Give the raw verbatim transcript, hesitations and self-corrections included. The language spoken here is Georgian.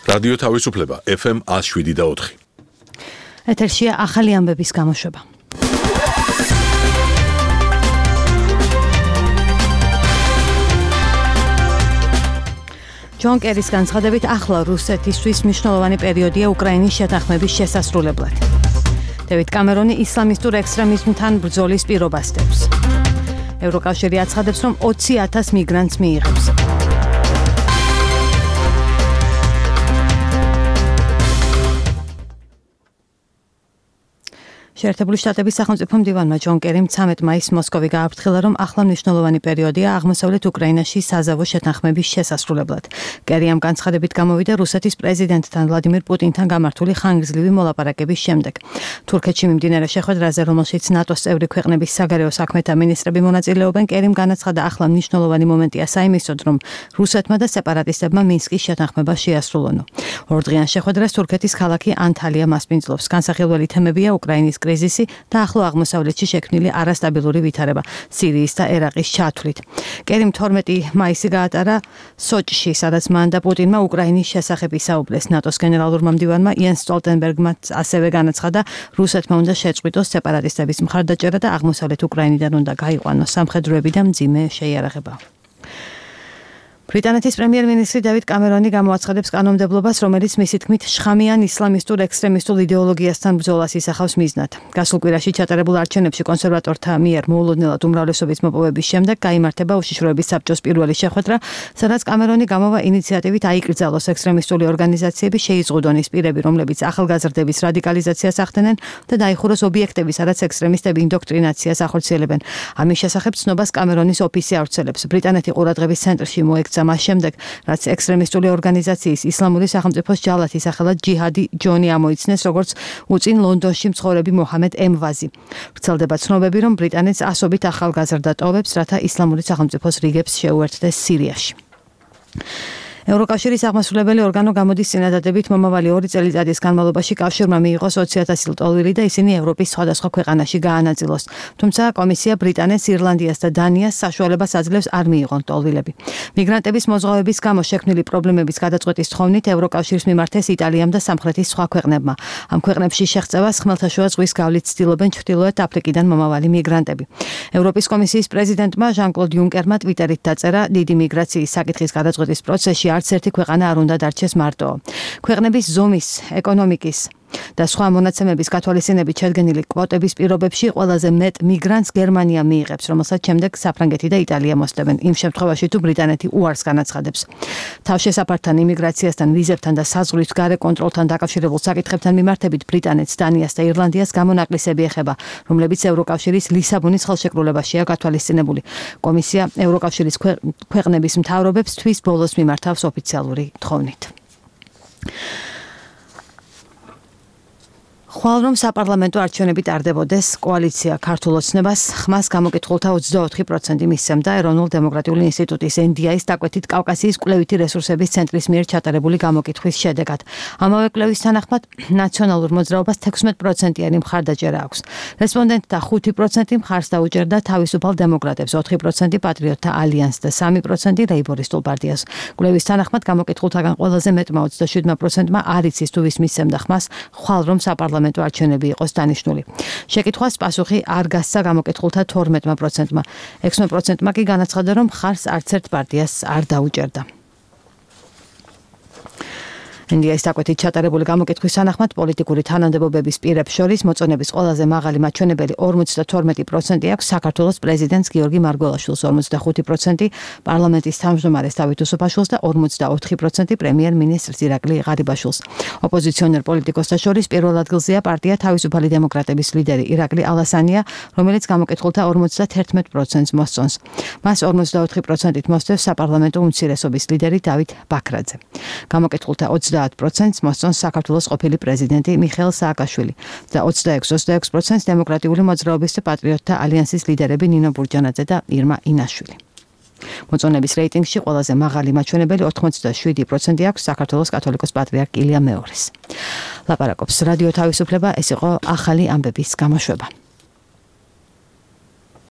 რადიო თავისუფლება ეფ ემ one oh seven და four. ეთერშია ახალი ამბების გამოშვება. ჯონ კერის განცხადებით ახლა რუსეთისთვის მნიშვნელოვანი პერიოდია უკრაინის შეთანხმების შესასრულებლად. დევიდ კამერონი ისლამისტურ ექსტრემიზმთან ბრძოლის პირობას დებს. ევროკავშირი აცხადებს, რომ ოცი ათას მიგრანტს მიიღებს. შეერთებული შტატების სახელმწიფო მდივანმა ჯონ კერიმ ცამეტ მაისს მოსკოვი გააფრთხილა, რომ ახლა მნიშვნელოვანი პერიოდია აღმოსავლეთ უკრაინაში საზავო შეთანხმების შესასრულებლად. კერი ამ განცხადებით გამოვიდა რუსეთის პრეზიდენტთან ვლადიმირ პუტინთან გამართული ხანგრძლივი მოლაპარაკების შემდეგ. თურქეთში მიმდინარე შეხვედრაზე, რომელშიც ნატოს წევრი ქვეყნების საგარეო საქმეთა მინისტრები მონაწილეობენ, კერიმ განაცხადა, ახლა მნიშვნელოვანი მომენტია საიმისოდ, რომ რუსეთმა და სეპარატისტებმა მინსკის შეთანხმება შეასრულონო. ორდღიან შეხვედრას თურქეთის ქალაქი ანტალია მასპინძლობს. განსახილველი თემებია უკრაინის კრიზისი და ახლო აღმოსავლეთში შექმნილი არასტაბილური ვითარება სირიის და ერაყის ჩათვლით. კერიმ თორმეტი მაისი გაატარა სოჭში, სადაც მან და პუტინმა უკრაინის შესახებ ისაუბრეს. ნატოს გენერალურმა მდივანმა იენს სტოლტენბერგმა ასევე განაცხადა, რუსეთმა უნდა შეწყვიტოს სეპარატისტების მხარდაჭერა და აღმოსავლეთ უკრაინიდან უნდა გაიყვანოს სამხედროები და მძიმე შეიარაღება. ბრიტანეთის პრემიერ-მინისტრი დევიდ კამერონი გამოაცხადებს კანონმდებლობას, რომელიც მისი თქმით შხამიან ისლამისტურ ექსტრემისტულ იდეოლოგიასთან ბრძოლას ისახავს მიზნად. გასულ კვირაში ჩატარებულ არჩევნებში კონსერვატორთა მიერ მოულოდნელად უმრავლესობის მოპოვების შემდეგ გაიმართება უშიშროების საბჭოს პირველი შეხვედრა, სადაც კამერონი გამოვა ინიციატივით აიკრძალოს ექსტრემისტული ორგანიზაციები, შეიზღუდონ ის პირები, რომლებიც ახალგაზრდების რადიკალიზაციას ახდენენ და დაიხუროს ობიექტები, სადაც ექსტრემისტები ინდოქტრინაციას ახორციელებენ. ამის შესახებ ცნობას კამერონის ოფისი ავრცელებს. ბრიტანეთი ყურადღების ცენტრში მოექცა მას შემდეგ, რაც ექსტრემისტული ორგანიზაციის ისლამური სახელმწიფოს ჯალათის სახელად ჯიჰადი ჯონი ამოიცნეს, როგორც უწინ ლონდონში მცხოვრები მოჰამედ ემვაზი. ვრცელდება ცნობები, რომ ბრიტანეთს ასობით ახალგაზრდა ტოვებს, რათა ისლამური სახელმწიფოს რიგებს შეუერთდეს სირიაში. ევროკავშირის აღმასრულებელი ორგანო გამოდის წინადადებით მომავალი ორი წელიწადის განმავლობაში კავშირმა მიიღოს ოცი ათასი ტოლვილი და ისინი ევროპის სხვადასხვა ქვეყანაში გაანაწილოს. თუმცა კომისია ბრიტანეთს, ირლანდიას და დანიას საშუალებას აძლევს არ მიიღონ ტოლვილები. მიგრანტების მოზღვავების გამო შექმნილი პრობლემების გადაწყვეტის თხოვნით ევროკავშირს მიმართეს იტალიამ და სამხრეთის სხვა ქვეყნებმა. ამ ქვეყნებში შეღწევას ხმელთაშუა ზღვის გავლით ცდილობენ ჩრდილოეთ აფრიკიდან მომავალი მიგრანტები. ევროპის კომისიის პრეზიდენტმა ჟან-კლოდ იუნკერმა ტვიტერით დაწერა, დიდი მიგრაციის საკითხის გადაწყვეტის პროცესში არც ერთი ქვეყანა არ უნდა დარჩეს მარტო. ქვეყნების ზომის, ეკონომიკის და სხვა მონაცემების გათვალისწინებით შედგენილი კვოტების პირობებში ყველაზე მეტ მიგრანტს გერმანია მიიღებს, რომელსაც შემდეგ საფრანგეთი და იტალია მოსდევენ. იმ შემთხვევაში თუ ბრიტანეთი უარს განაცხადებს. თავშესაფართან, იმიგრაციასთან, ვიზებთან და საზღვრის გარე კონტროლთან დაკავშირებულ საკითხებთან მიმართებით ბრიტანეთს, დანიას და ირლანდიას გამონაკლისები ეხება, რომლებიც ევროკავშირის ლისაბონის ხელშეკრულებაშია გათვალისწინებული. კომისია ევროკავშირის ქვეყნების მთავრობებს თვის ბოლოს მიმართავს ოფიციალური თხოვნით. ხვალ რომ საპარლამენტო არჩევნები ტარდებოდეს, კოალიცია ქართულ ოცნებას ხმას გამოკითხულთა ოცდაოთხი პროცენტი მისცემდა ეროვნულ-დემოკრატიული ინსტიტუტის ენ დი აის დაკვეთით კავკასიის კვლევითი რესურსების ცენტრის მიერ ჩატარებული გამოკითხვის შედეგად. ამავე კვლევის თანახმად ნაციონალურ მოძრაობას თექვსმეტ პროცენტიანი მხარდაჭერა აქვს. რესპონდენტთა ხუთი პროცენტი მხარს დაუჭერდა თავისუფალ დემოკრატებს, ოთხი პროცენტი პატრიოტთა ალიანსს და სამი პროცენტი ლეიბორისტულ პარტიას. კვლევის თანახმად გამოკითხულთაგან ყველაზე მეტმა ოცდაშვიდმა პროცენტმა არ იცის თუ ვის მისცემდა ხმას ხვალ რომ საპარლამენტო არჩევნები იყოს დანიშნული. შეკითხვას პასუხი არ გასცა გამოკითხულთა თორმეტმა პროცენტმა. ექვსმეტ პროცენტმა კი განაცხადა, რომ მხარს არც ერთ პარტიას არ დაუჭერდა. ენ დი აის დაკვეთით ჩატარებული გამოკითხვის თანახმად პოლიტიკური თანამდებობების პირებს შორის მოწონების ყველაზე მაღალი მაჩვენებელი ორმოცდათორმეტი პროცენტი აქვს საქართველოს პრეზიდენტს გიორგი მარგველაშვილს, ორმოცდახუთი პროცენტი პარლამენტის თავმჯდომარეს დავით უსუფაშვილს და ორმოცდაოთხი პროცენტი პრემიერ-მინისტრს ირაკლი ღარიბაშვილს. ოპოზიციონერ პოლიტიკოსთა შორის პირველ ადგილზეა პარტია თავისუფალი დემოკრატების ლიდერი ირაკლი ალასანია, რომელიც გამოკითხულთა ორმოცდაათი პროცენტს მოსწონს. მას ორმოცდაოთხი პროცენტით მოსდევს საპარლამენტო უმცირესობის ლიდერი დავით ბაქრაძე. გამოკითხულთა ოცდაათი პროცენტს მოსწონს საქართველოს ყოფილი პრეზიდენტი მიხეილ სააკაშვილი და ოცდაექვსი ოცდაექვსი პროცენტს დემოკრატიული მოძრაობის და პატრიოტთა ალიანსის ლიდერები ნინო ბურჯანაძე და ირმა ინაშვილი. მოწონების რეიტინგში ყველაზე მაღალი მაჩვენებელი ოთხმოცდაშვიდი პროცენტი აქვს საქართველოს კათოლიკოს პატრიარქ ილია მეორის. ლაპარაკობს რადიო თავისუფლება, ეს იყო ახალი ამბების გამოშვება.